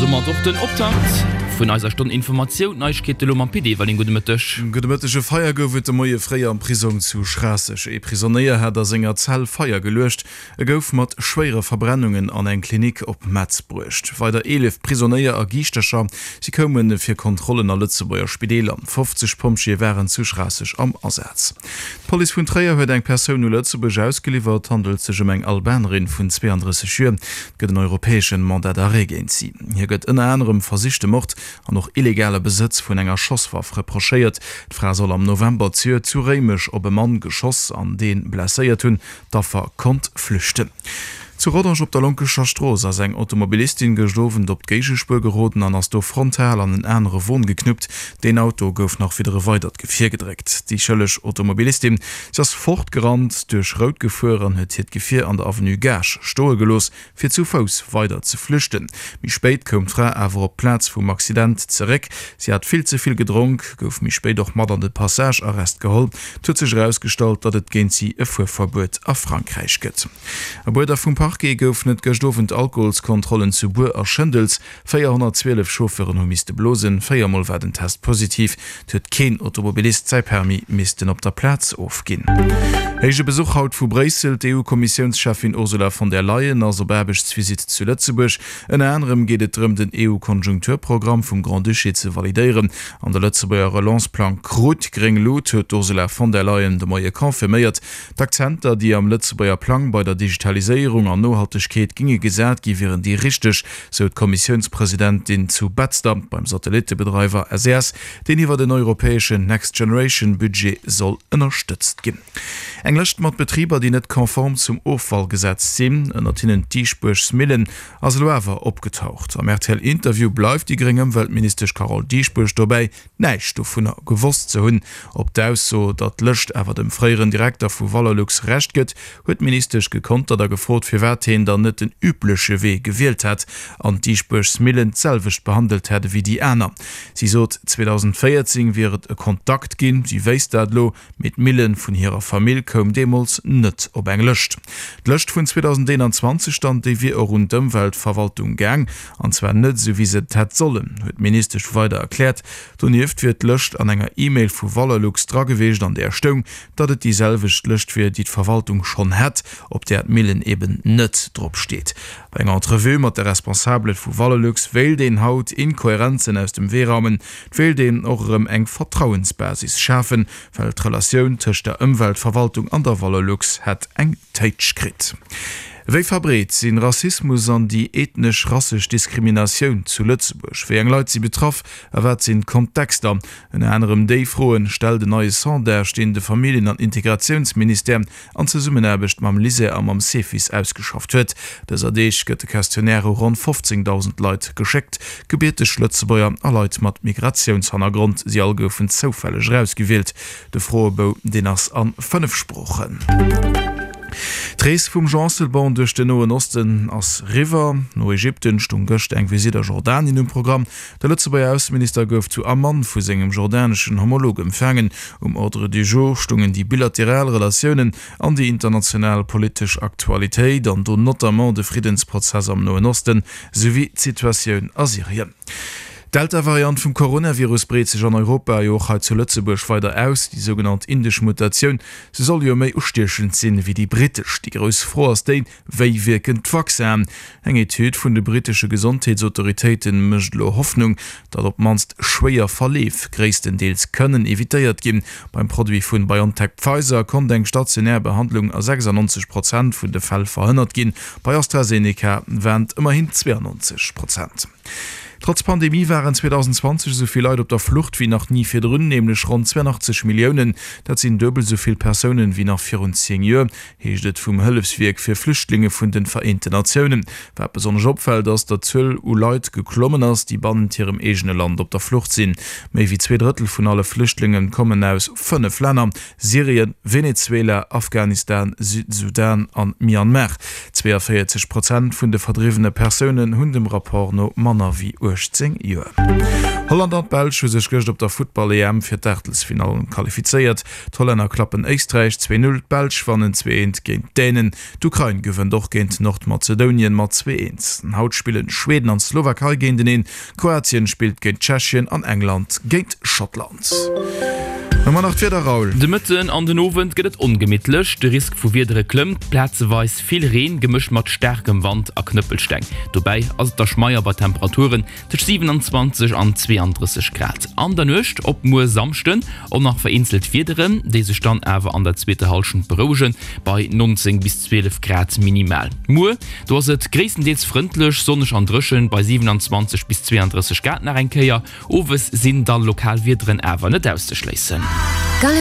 domat och den Optakt vun eiser Stonn Informatioun. D'Neiegkeete lo mam Pit Everling. Gudde Mëtteg. Gudde Mëtteg. E Feier gouf et de Moie fréi am Prisong zu Schraasseg. Ee Prisonéier hat a senger Zell Feier geluecht. E gouf mat schwéiere Verbrennungen an eng Klinik op Metz bruecht. Weider 11 Prisonéier a Giischtercher, si koume fir Kontrollen a Lëtzebuerger Spideeler. 50 Pompjeeë waren zu Schraasseg am Asaz. D'Police vun Tréier huet eng Persoun u Lëtzebuerg ausgeliwwert. Et handelt sech ëm eng Albanerin vun 32 Joer. Et gëtt en europäeschen Mandat d'arrêt géint si. Hir gëtt ënner anerem versichte Mord an och illegale Besëtz vun enger Schosswaff reprochéiert. D'Fra soll am November zejoert zu Réimech op e Mann geschoss an dee blesséiert hunn. D'Affer konnt flüchten. Zu Rodange op der Lonkescher Strooss ass eng Automobilistin gëscht Owend op d'Géigespuer geroden an ass do frontal an en anere Won geknuppt. Deen Auto gouf nach widder e weidert Gefier gedréckt. Déi schëlleg Automobilistin, si ass fortgerannt, duerch Rout gefuer an huet hiert Gefier an der Avenue Gaasch stoe gelooss, fir zu Fouss weider ze flüchten. Méi spéit koum d'Fra awer op d'Plaz vum Accident zeréck. Si hat vill ze vill gedronk, gouf méi spéit och mat an de Passage-Arrest geholl. Et huet sech erausgestallt, datt et géint si e Fuerverbuet a Frankräich gëtt. Op Uerder vum Parquet goufen et gëscht Owend Alkoholskontrollen zu Buer a Schëndels. 412 Chauffeuren hu misste blosen, 4 Mol war den Test positiv. Et huet keen Automobilist säi Permis missten op der Plaz ofginn. Héije Besuch haut vu Bréissel, D'EU-Kommissiounscheffin Ursula von der Leyen ass op Aarbechtsvisitt zu Lëtzebuerg. Ënner anerem geet et drëm, den EU-Konjunkturprogramm vum Grand-Duché ze validéieren an de Lëtzebuerger Relance-Plang krut gréng Lut, huet d'Ursula von der Leyen de Moie confirméiert. D'Akzenter, déi am Lëtzebuerger Plang bei der Digitaliséierung an Nohaltegkeet ginge gesat gi wieren déi richteg, sou d'Kommissiounspresidentin zu Betzder beim Satellittebedreiwer SES, deen iwwert en europäeschen Next Generation Budget soll ënnerstëtzt ginn. Eng Lëscht mat Betriber, déi net konform zum Offallgesetz sinn, ënnert hinnen d'Diesbuergs Millen, ass elo awer opgetaucht. Am RTL-Interview bleift déi gréng Ëmweltministesch Carole Dieschbourg dobäi, näischt dovunner gewosst ze hunn. Op d'Ausso, datt d'Lëscht awer dem fréieren Direkter vu Valorlux Recht gëtt, huet d'Ministesch gekontert a gefrot, firwat heen dann net den übleche Wee gewielt hätt an d'Diesbuergs Millen d'selwecht behandelt hätt ewéi déi aner. Si sot, 2014 wier et e Kontakt ginn, si wéisst dat elo, Mee d'Millen vun hirer Famill koum deemools net op eng Lëscht. D'Lëscht vun 2021 dann, déi wier och un d'Ëmweltverwaltung gaang, an zwar net esou wéi se et hätt sollen, huet d'Ministesch weider erkläert. Donieft wier d'Lëscht an enger E-Mail vu Valorlux dra gewiescht, an där stoung, datt et déi selwecht Lëscht wier, déi d'Verwaltung schonn hätt, op där d'Millen eben net drop steet. Bei enger Entrevue mat de Responsabele vu Valorlux wéilt een haut Inkohärenzen aus dem Wee raumen, Et wéilt een och erëm eng Vertrauensbasis schafen, well d'Relatioun tëscht der Ëmweltverwaltung an der Valorlux hätt eng Téitsch kritt. Wéi verbreet sinn Rassismus an déi ethnesch-rassesch Diskriminatioun zu Lëtzebuerg? Wéi eng Leit si betraff a wat sinn d'Kontexter? Ënner anerem déi Froen stellt en neie Sondage, deen de Familljen an Integratiounsministère an Zesummenaarbecht mam LISER a mam Cefis ausgeschafft huet. Dëser Deeg gëtt de Questionnaire u ronn 15.000 Leit geschéckt, gebierteg Lëtzebuerger a Leit mat Migratiounshannergrond. Si all goufen zoufälleg erausgewielt. De Froebou, deen ass a 5 Sproochen. D'Rees vum Jean Asselborn duerch den Noen Osten ass riwwer. No Ägypten stung gëscht eng Visitt a Jordanien um Programm. De Lëtzebuerger Ausseminister gouf zu Amman vu sengem jordaneschen Homolog empfaangen. Um Ordre du jour stungen déi bilateral Relatiounen an déi international politesch Aktualitéit, an do notamment de Friddensprozess am Noen Osten, souwéi d'Situatioun a Syrien. D'Delta-Variant vum Coronavirus breet sech an Europa, jo och hei zu Lëtzebuerg, weider aus. Déi sougenannt indesch Mutatioun, se soll jo méi ustiechend sinn ewéi déi brittesch. Déi grouss Fro ass déi, Wéi wierken d'Vaccinen? Eng Etüd vun de brittesche Gesondheetsautoritéite mécht elo Hoffnung, datt op d'mannst schwéier Verleef gréisstendeels kënnen evitéiert ginn. Beim Produit vun BioNTech-Pfizer konnt eng stationär Behandlung a 96 Prozent vun de Fäll verhënnert ginn, bei AstraZeneca waren et ëmmerhin 92 Prozent. Trotz Pandemie waren 2020 esou vill Leit op der Flucht wéi nach ni virdrun, nämlech ronn 82 Milliounen. Dat sinn duebel esou vill Persounen wéi nach virun 10 Joer. heescht et vum Hëllefswierk fir Flüchtlinge vun de Vereenten Natiounen. Wat besonnesch opfält, ass, datt d'Zuel u Leit geklommen ass, déi bannent hirem eegene Land op der Flucht sinn. Méi wéi 2 Drëttel vun alle Flüchtlinge kommen aus 5 Länner, Syrien, Venezuela, Afghanistan, Südsudan an Myanmar. 42 Prozent vun de verdriwwene Persounen hunn dem Rapport no manner wéi 18 Joer. Holland an d'Belsch hu sech gëscht op der Futtball-EM fir d'Aachtelsfinallen qualifizéiert. D'Hollänner klappen Éisträich 2, 0, d'Belsch wannen 2, 1 géint d'Dänen. D'Ukrain gewënnt och géint Nordmazedounien mat 2, 1. Haut spillen Schweden an d'Slowakei géinteneen, Kroatien spillt géint Tschechien an England géint Schottland. Hu mer nach d'Wieder, Raoul? De Mëtten an den Owend gëtt et ongemittlech, de Risk vu Wiedere klëmmt, plazeweis vill Reen gemëscht mat staarkem Wand a Knëppelsteng. Dobäi ass et da schmeier bei Temperaturen tëscht 27 an 32 Grad. An der Nuecht op muer Samschden och nach vereenzelt Wiederen, déi sech dann awer an der zweeter Hallschent berouegen, bei 19 bis 12 Grad minimal. Muer, do ass et gréisstendeels frëndlech, sonneg an dréchen, bei 27 bis 32 Grad nach eng Kéier. Owes sinn da lokal Wiederen awer net auszeschléissen.